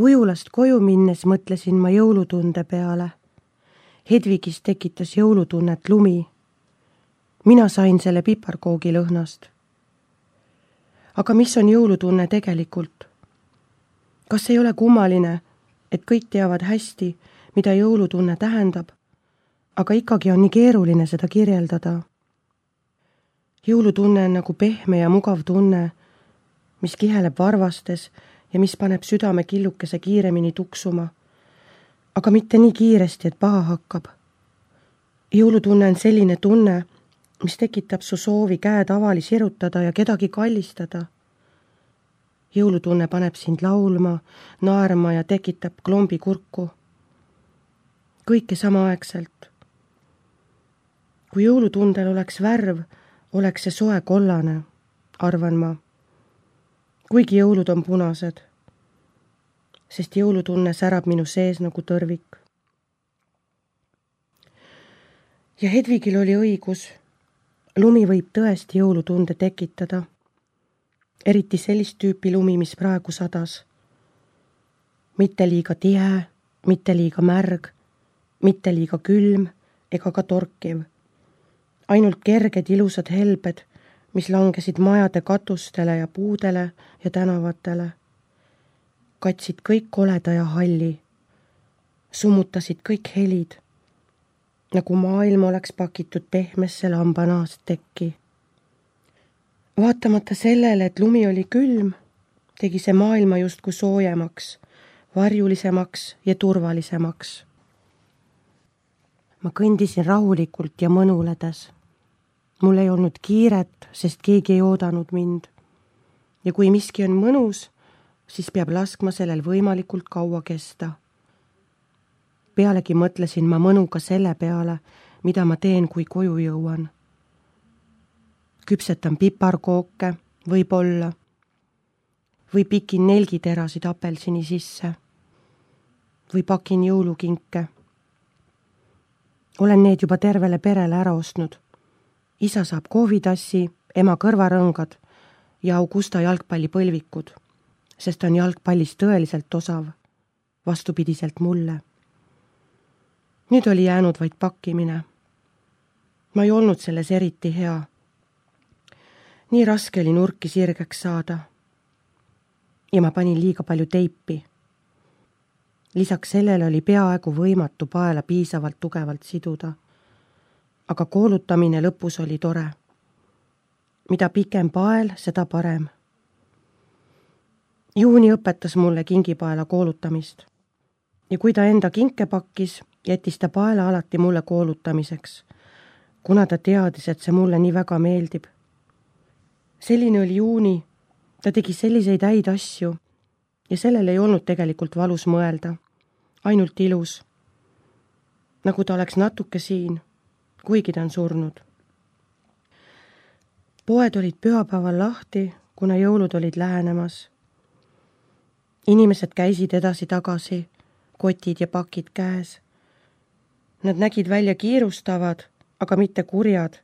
Ujulast koju minnes mõtlesin ma jõulutunde peale. Hedvigis tekitas jõulutunnet lumi. Mina sain selle piparkoogi lõhnast. Aga mis on jõulutunne tegelikult? Kas ei ole kummaline, et kõik teavad hästi, mida jõulutunne tähendab, aga ikkagi on nii keeruline seda kirjeldada? Jõulutunne on nagu pehme ja mugav tunne, mis kiheleb varvastes ja mis paneb südame killukese kiiremini tuksuma, aga mitte nii kiiresti, et paha hakkab. Jõulutunne on selline tunne, mis tekitab su soovi käed avali sirutada ja kedagi kallistada. Jõulutunne paneb sind laulma, naerma ja tekitab klombi kurku. Kõike samaaegselt. Kui jõulutundel oleks värv, oleks see soe kollane, arvan ma. Kuigi jõulud on punased, sest jõulutunne särab minu sees nagu tõrvik. Ja Hedvigil oli õigus. Lumi võib tõesti jõulutunde tekitada. Eriti sellist tüüpi lumi, mis praegu sadas. Mitte liiga tihe, mitte liiga märg, mitte liiga külm ega ka torkiv. Ainult kerged ilusad helbed, mis langesid majade katustele ja puudele ja tänavatele. Katsid kõik koleda ja halli. Summutasid kõik helid, nagu maailm oleks pakitud pehmesse lambanaast tekki. Vaatamata sellele, et lumi oli külm, tegi see maailma justkui soojemaks, varjulisemaks ja turvalisemaks. Ma kõndisin rahulikult ja mõnuledes. Mul ei olnud kiiret, sest keegi ei oodanud mind. Ja kui miski on mõnus, siis peab laskma sellel võimalikult kaua kesta. Pealegi mõtlesin ma mõnuga selle peale, mida ma teen, kui koju jõuan. Küpsetan piparkooke, võib-olla, või pikin nelgiterasid apelsini sisse, või pakin jõulukinke. Olen need juba tervele perele ära ostnud. Isa saab kohvitassi, ema kõrvarõngad ja Augusta jalgpallipõlvikud, sest on jalgpallist tõeliselt osav, vastupidiselt mulle. Nüüd oli jäänud vaid pakkimine. Ma ei olnud selles eriti hea. Nii raske oli nurki sirgeks saada. Ja ma panin liiga palju teipi. Lisaks sellele oli peaaegu võimatu paela piisavalt tugevalt siduda. Aga koolutamine lõpus oli tore. Mida pikem pael, seda parem. Juuni õpetas mulle kingipaela koolutamist. Ja kui ta enda kinke pakkis, jättis ta paela alati mulle koolutamiseks, kuna ta teadis, et see mulle nii väga meeldib. Selline oli Juuni, ta tegi selliseid häid asju ja sellel ei olnud tegelikult valus mõelda, ainult ilus. Nagu ta oleks natuke siin, kuigi ta on surnud. Poed olid pühapäeval lahti, kuna jõulud olid lähenemas. Inimesed käisid edasi-tagasi, kotid ja pakid käes. Nad nägid välja kiirustavad, aga mitte kurjad.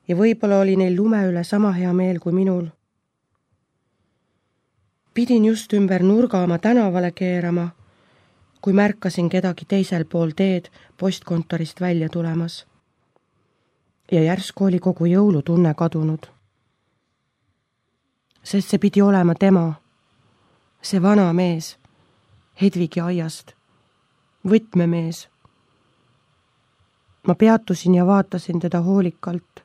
Ja võib-olla oli neil lume üle sama hea meel kui minul. Pidin just ümber nurga oma tänavale keerama, kui märkasin kedagi teisel pool teed postkontorist välja tulemas. Ja järsku oli kogu jõulutunne kadunud. Sest see pidi olema tema, see vana mees, Hedvigi aiast, võtmemees. Ma peatusin ja vaatasin teda hoolikalt.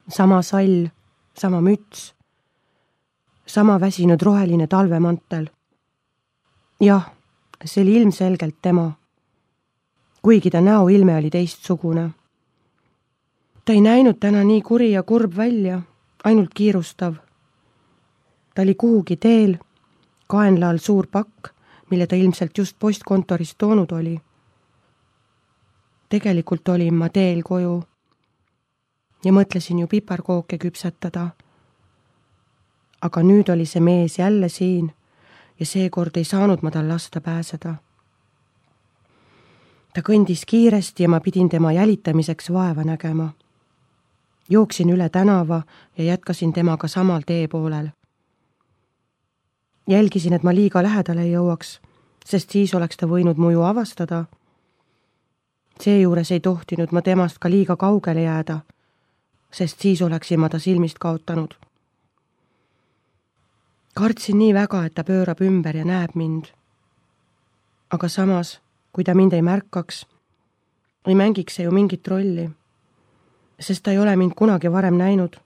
Sama sall, sama müts, sama väsinud roheline talvemantel. Jah, see oli ilmselgelt tema, kuigi ta näoilme oli teistsugune. Ta ei näinud täna nii kuri ja kurb välja, ainult kiirustav. Ta oli kuhugi teel, kaenla all suur pakk, mille ta ilmselt just postkontorist toonud oli. Tegelikult olin ma teel koju ja mõtlesin ju piparkooke küpsetada. Aga nüüd oli see mees jälle siin ja seekord ei saanud ma tal lasta pääseda. Ta kõndis kiiresti ja ma pidin tema jälitamiseks vaeva nägema. Jooksin üle tänava ja jätkasin temaga samal tee poolel. Jälgisin, et ma liiga lähedale ei jõuaks, sest siis oleks ta võinud muju avastada. Seejuures ei tohtinud ma temast ka liiga kaugele jääda, sest siis oleksin ma ta silmist kaotanud. Kartsin nii väga, et ta pöörab ümber ja näeb mind. Aga samas, kui ta mind ei märkaks, ei mängiks see ju mingit rolli, sest ta ei ole mind kunagi varem näinud.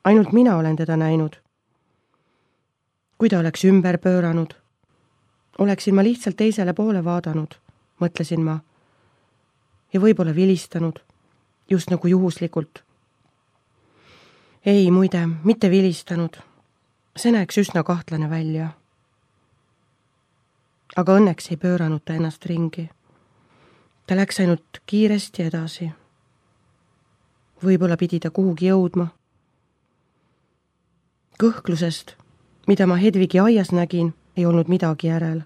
Ainult mina olen teda näinud. Kui ta oleks ümber pööranud, oleksin ma lihtsalt teisele poole vaadanud, mõtlesin ma, ja võib-olla vilistanud, just nagu juhuslikult. Ei, muide, mitte vilistanud. See näeks üsna kahtlane välja. Aga õnneks ei pööranud ta ennast ringi. Ta läks ainult kiiresti edasi. Võib-olla pidi ta kuhugi jõudma. Kõhklusest, mida ma Hedvigi aias nägin, ei olnud midagi järel.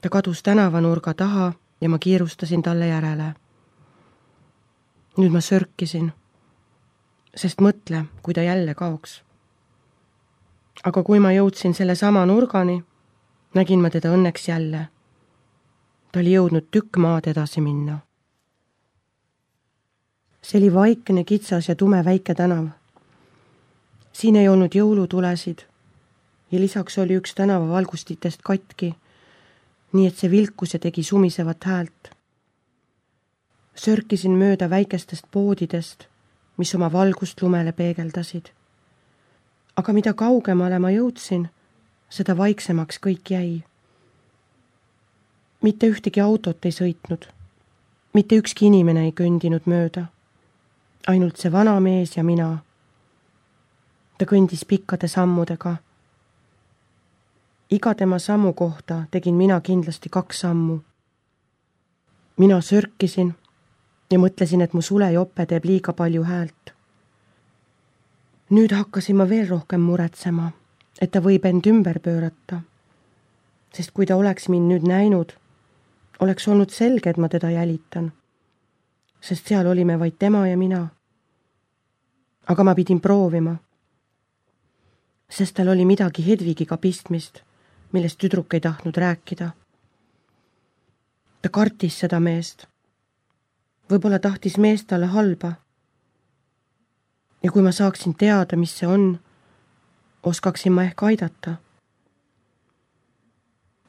Ta kadus tänavanurga taha ja ma kiirustasin talle järele. Nüüd ma sörkisin, sest mõtle, kui ta jälle kaoks. Aga kui ma jõudsin selle sama nurgani, nägin ma teda õnneks jälle. Ta oli jõudnud tükk maad edasi minna. See oli vaikne, kitsas ja tume väike tänav. Siin ei olnud jõulutulesid ja lisaks oli üks tänava valgustitest katki, nii et see vilkus ja tegi sumisevat häält. Sörkisin mööda väikestest poodidest, mis oma valgust lumele peegeldasid. Aga mida kaugemale ma jõudsin, seda vaiksemaks kõik jäi. Mitte ühtegi autot ei sõitnud, mitte ükski inimene ei kõndinud mööda. Ainult see vana mees ja mina. Ta kõndis pikkade sammudega. Iga tema sammu kohta tegin mina kindlasti 2 sammu. Mina sörkisin ja mõtlesin, et mu sulejope teeb liiga palju häält. Nüüd hakkasin ma veel rohkem muretsema, et ta võib end ümber pöörata, sest kui ta oleks mind nüüd näinud, oleks olnud selge, et ma teda jälitan, sest seal olime vaid tema ja mina. Aga ma pidin proovima, sest tal oli midagi Hedvigiga pistmist, millest tüdruk ei tahtnud rääkida. Ta kartis seda meest. Võib-olla tahtis meest talle halba. Ja kui ma saaksin teada, mis see on, oskaksin ma ehk aidata.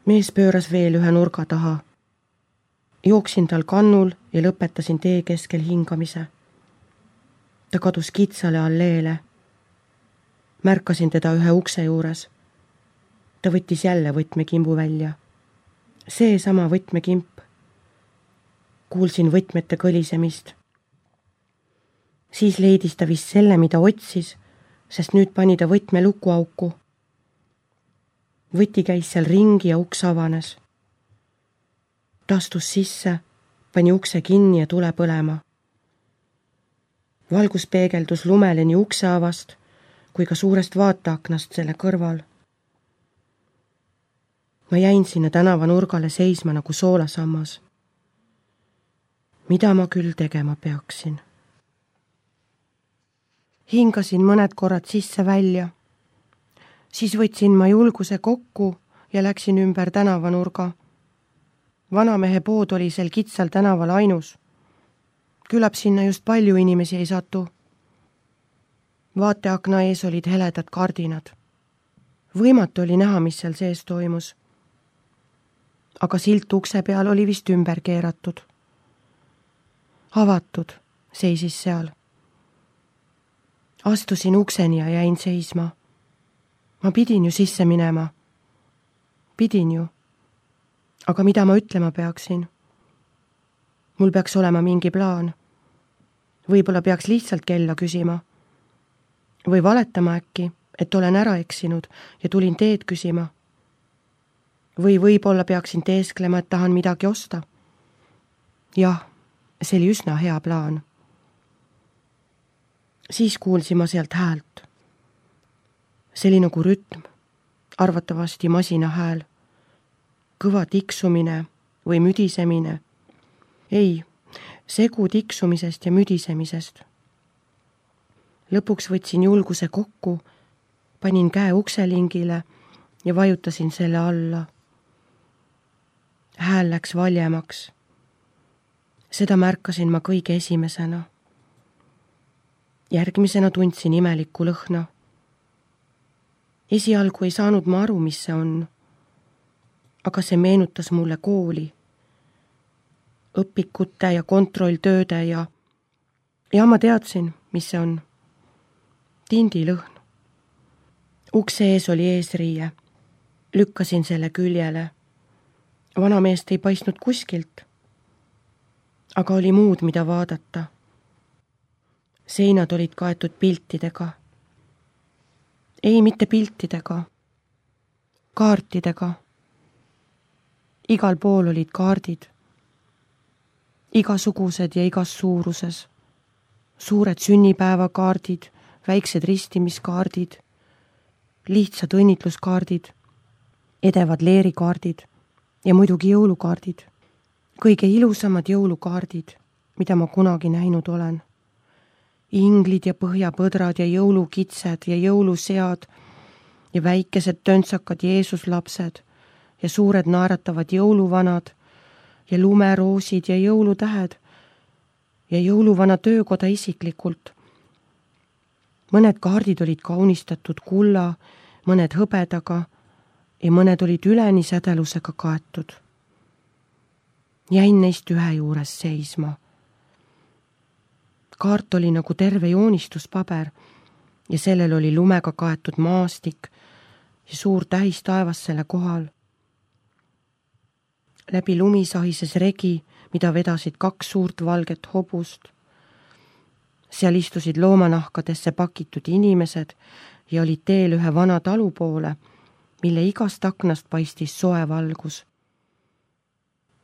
Mees pööras veel ühe nurga taha. Jooksin tal kannul ja lõpetasin tee keskel hingamise. Ta kadus kitsale alleele. Märkasin teda ühe ukse juures. Ta võttis jälle võtmekimbu välja. See sama võtmekimp. Kuulsin võtmete kõlisemist. Siis leidis ta vist selle, mida otsis, sest nüüd pani ta võtme lukuauku. Võti käis seal ringi ja uks avanes. Ta astus sisse, pani ukse kinni ja tule põlema. Valgus peegeldus lumele nii ukse avast kui ka suurest vaateaknast selle kõrval. Ma jäin sinna tänava nurgale seisma nagu soolasammas. Mida ma küll tegema peaksin? Hingasin mõned korrad sisse välja. Siis võtsin ma julguse kokku ja läksin ümber tänavanurga. Vanamehe pood oli sel kitsal tänaval ainus. Küllap sinna just palju inimesi ei satu. Vaateakna ees olid heledad kardinad. Võimatu oli näha, mis seal sees toimus. Aga silt ukse peal oli vist ümber keeratud. Avatud seisis seal. Astusin ukseni ja jäin seisma. Ma pidin ju sisse minema. Pidin ju. Aga mida ma ütlema peaksin? Mul peaks olema mingi plaan. Võib-olla peaks lihtsalt kella küsima. Või valetama äkki, et olen ära eksinud ja tulin teed küsima. Või võib-olla peaksin teesklema, et tahan midagi osta. Jah, see oli üsna hea plaan. Siis kuulsin ma sealt häält. See oli nagu rütm, arvatavasti masina hääl. Kõva tiksumine või müdisemine. Ei, segu tiksumisest ja müdisemisest. Lõpuks võtsin julguse kokku, panin käe ukselingile ja vajutasin selle alla. Hääl läks valjemaks. Seda märkasin ma kõige esimesena. Järgmisena tundsin imelikku lõhna. Esialgu ei saanud ma aru, mis see on, aga see meenutas mulle kooli, õpikute ja kontrolltööde ja ma teadsin, mis see on. Tindilõhn. Ukse ees oli eesriie. Lükkasin selle küljele. Vanameest ei paistnud kuskilt, aga oli muud, mida vaadata. Seinad olid kaetud piltidega. Ei, mitte piltidega. Kaartidega. Igal pool olid kaardid. Igasugused ja igas suuruses. Suured sünnipäevakaardid, väiksed ristimiskaardid, lihtsad õnnitluskaardid, edevad leerikaardid ja muidugi jõulukaardid. Kõige ilusamad jõulukaardid, mida ma kunagi näinud olen. Inglid ja põhjapõdrad ja jõulukitsed ja jõulusead ja väikesed töntsakad Jeesuslapsed ja suured naeratavad jõuluvanad ja lumeroosid ja jõulutähed ja jõuluvana töökoda isiklikult. Mõned kaardid olid kaunistatud kulla, mõned hõbedaga ja mõned olid üleni sädelusega kaetud. Jäin neist ühe juures seisma. Kaart oli nagu terve joonistuspaber ja sellel oli lumega kaetud maastik ja suur tähis taevas selle kohal. Läbi lumi sahises regi, mida vedasid 2 suurt valget hobust. Seal istusid loomanahkadesse pakitud inimesed ja olid teel ühe vana talu poole, mille igast aknast paistis soe valgus.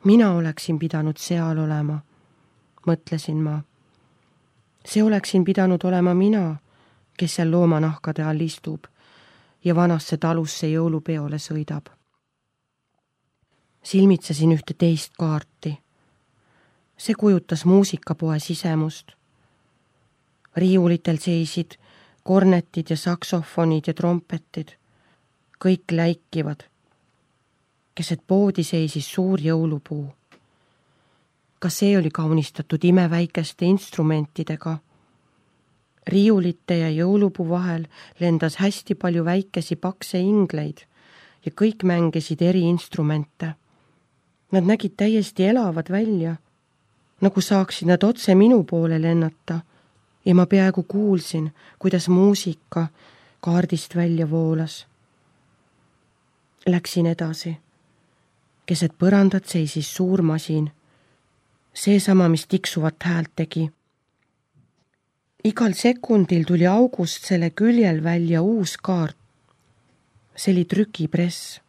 Mina oleksin pidanud seal olema, mõtlesin ma. See oleksin pidanud olema mina, kes seal loomanahkade all istub ja vanasse talusse jõulupeole sõidab. Silmitsesin ühte teist kaarti. See kujutas muusikapoe sisemust. Riiulitel seisid kornetid ja saksofonid ja trompetid. Kõik läikivad. Keset poodi seisis suur jõulupuu. Ka see oli kaunistatud imeväikeste instrumentidega. Riiulite ja jõulupuu vahel lendas hästi palju väikesi pakse ingleid ja kõik mängisid eri instrumente. Nad nägid täiesti elavad välja, nagu saaksid nad otse minu poole lennata ja ma peaaegu kuulsin, kuidas muusika kaardist välja voolas. Läksin edasi. Keset põrandat seisis suur masin. Seesama, mis tiksuvat häält tegi. Igal sekundil tuli august selle küljel välja uus kaart. See oli trükipress.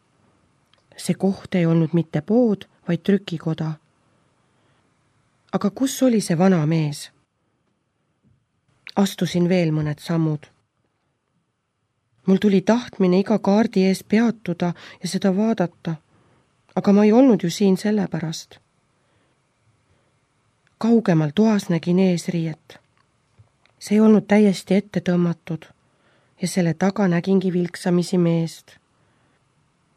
See koht ei olnud mitte pood, vaid trükikoda. Aga kus oli see vana mees? Astusin veel mõned sammud. Mul tuli tahtmine iga kaardi ees peatuda ja seda vaadata, aga ma ei olnud ju siin sellepärast. Kaugemal toas nägin eesriiet. See ei olnud täiesti ette tõmmatud ja selle taga nägingi vilksamisi meest.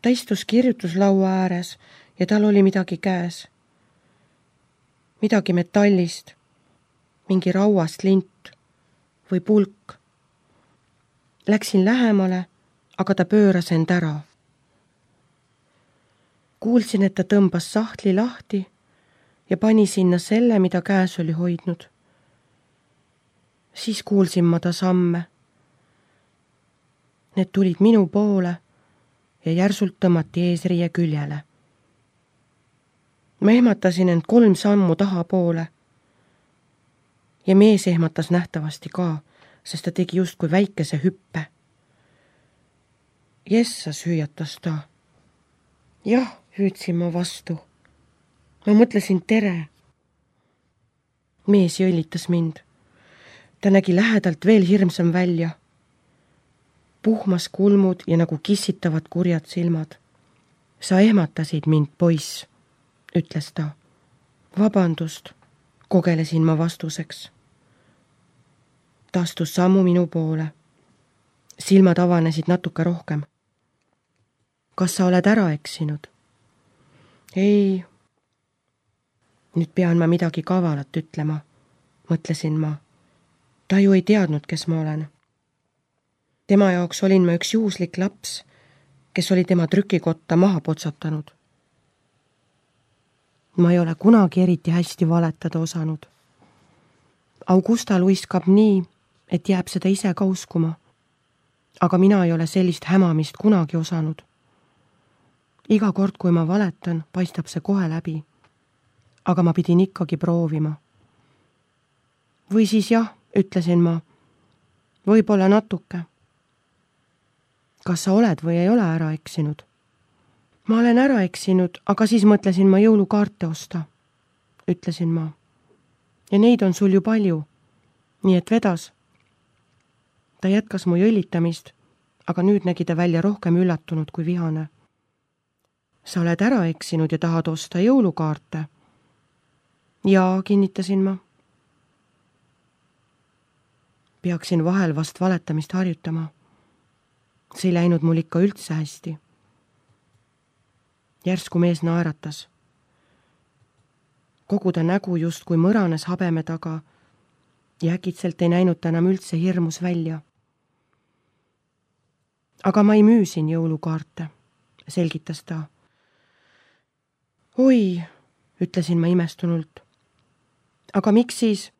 Ta istus kirjutuslaua ääres ja tal oli midagi käes. Midagi metallist, mingi rauast lint või pulk. Läksin lähemale, aga ta pööras end ära. Kuulsin, et ta tõmbas sahtli lahti ja pani sinna selle, mida käes oli hoidnud. Siis kuulsin ma ta samme. Need tulid minu poole ja järsult tõmmati eesriie küljele. Ma ehmatasin end 3 sammu tahapoole ja mees ehmatas nähtavasti ka, sest ta tegi justkui väikese hüppe. Jessas, hüüatas ta. Jah, hüüdsin ma vastu. Ma mõtlesin tere. Mees jõllitas mind. Ta nägi lähedalt veel hirmsam välja. Puhmas kulmud ja nagu kissitavad kurjad silmad. Sa ehmatasid mind, poiss, ütles ta. Vabandust, kogelesin ma vastuseks. Ta astus sammu minu poole. Silmad avanesid natuke rohkem. kas sa oled ära eksinud? Ei. Nüüd pean ma midagi kavalat ütlema, mõtlesin ma. Ta ju ei teadnud, kes ma olen. Tema jaoks olin ma üks juhuslik laps, kes oli tema trükikotta maha potsatanud. Ma ei ole kunagi eriti hästi valetada osanud. Augusta luiskab nii, et jääb seda ise ka uskuma. Aga mina ei ole sellist hämamist kunagi osanud. Iga kord, kui ma valetan, paistab see kohe läbi. Aga ma pidin ikkagi proovima. Või siis jah, ütlesin ma. Võib-olla natuke. Kas sa oled või ei ole ära eksinud? Ma olen ära eksinud, aga siis mõtlesin ma jõulukaarte osta, ütlesin ma. Ja neid on sul ju palju, nii et vedas. Ta jätkas mu jõllitamist, aga nüüd nägi ta välja rohkem üllatunud kui vihane. Sa oled ära eksinud ja tahad osta jõulukaarte? Jaa, kinnitasin ma. Peaksin vahel vast valetamist harjutama. See ei läinud mul ikka üldse hästi. Järsku mees naeratas. Kogu ta nägu just kui mõranes habeme taga ja äkitselt ei näinud ta enam üldse hirmus välja. Aga ma ei müü siin jõulukaarte, selgitas ta. Oi, ütlesin ma imestunult. Aga miks siis?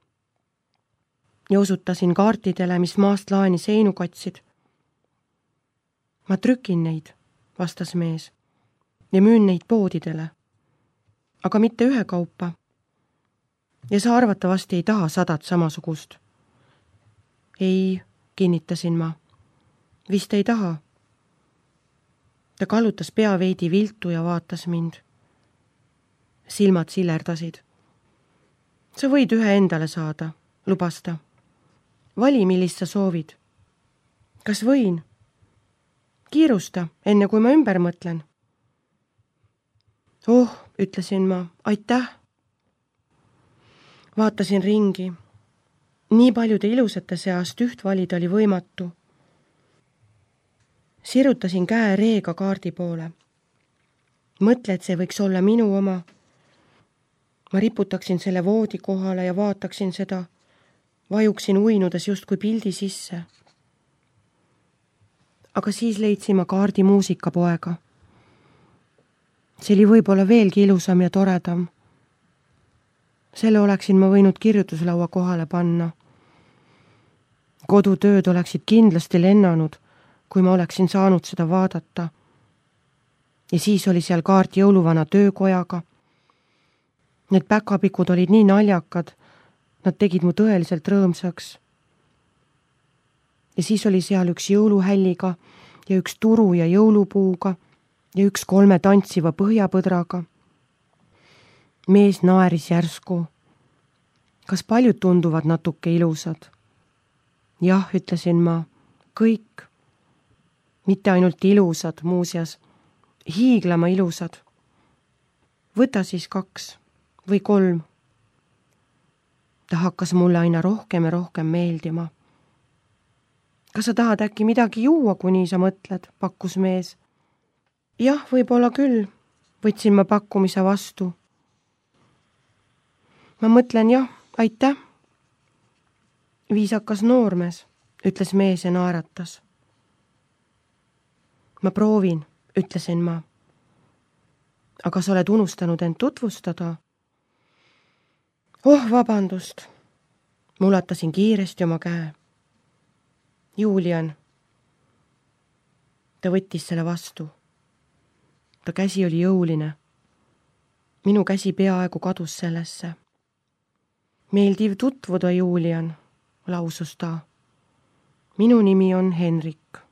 Ja osutasin kaartidele, mis maast laeni seinu katsid. Ma trükin neid, vastas mees, ja müün neid poodidele. Aga mitte ühekaupa. Ja sa arvatavasti ei taha 100 samasugust. Ei, kinnitasin ma. Vist ei taha. Ta kallutas pea veidi viltu ja vaatas mind. Silmad silerdasid. Sa võid ühe endale saada, lubas ta. Vali, millist sa soovid. Kas võin? Kiirusta, enne kui ma ümber mõtlen. Oh, ütlesin ma, aitäh. Vaatasin ringi. Nii paljude ilusate seast üht valida oli võimatu. Sirutasin käe reega kaardi poole. Mõtle, et see võiks olla minu oma. Ma riputaksin selle voodi kohale ja vaataksin seda. Vajuksin uinudes justkui pildi sisse. Aga siis leidsin ma kaardi muusikapoega. See oli võib-olla veelgi ilusam ja toredam. Selle oleksin ma võinud kirjutuslaua kohale panna. Kodutööd oleksid kindlasti lennanud, kui ma oleksin saanud seda vaadata. Ja siis oli seal kaart jõuluvana töökojaga. Need päkapikud olid nii naljakad, nad tegid mu tõeliselt rõõmsaks. Ja siis oli seal üks jõuluhälliga ja üks turu ja jõulupuuga ja üks 3 tantsiva põhjapõdraga. Mees naeris järsku. Kas paljud tunduvad natuke ilusad? Jah, ütlesin ma, kõik. Mitte ainult ilusad, muuseas, hiiglama ilusad. Võta siis 2 või 3. Ta hakkas mulle aina rohkem ja rohkem meeldima. Kas sa tahad äkki midagi juua, kui nii sa mõtled, pakkus mees. Jah, võib-olla küll, võtsin ma pakkumise vastu. Ma mõtlen jah, aitäh. Viisakas noormees, ütles mees ja naeratas. Ma proovin, ütlesin ma. Aga sa oled unustanud end tutvustada? Oh, vabandust. Mulatasin kiiresti oma käe. Julian. Ta võttis selle vastu. Ta käsi oli jõuline. Minu käsi peaaegu kadus sellesse. Meeldiv tutvuda, Julian, lausus ta. Minu nimi on Henrik.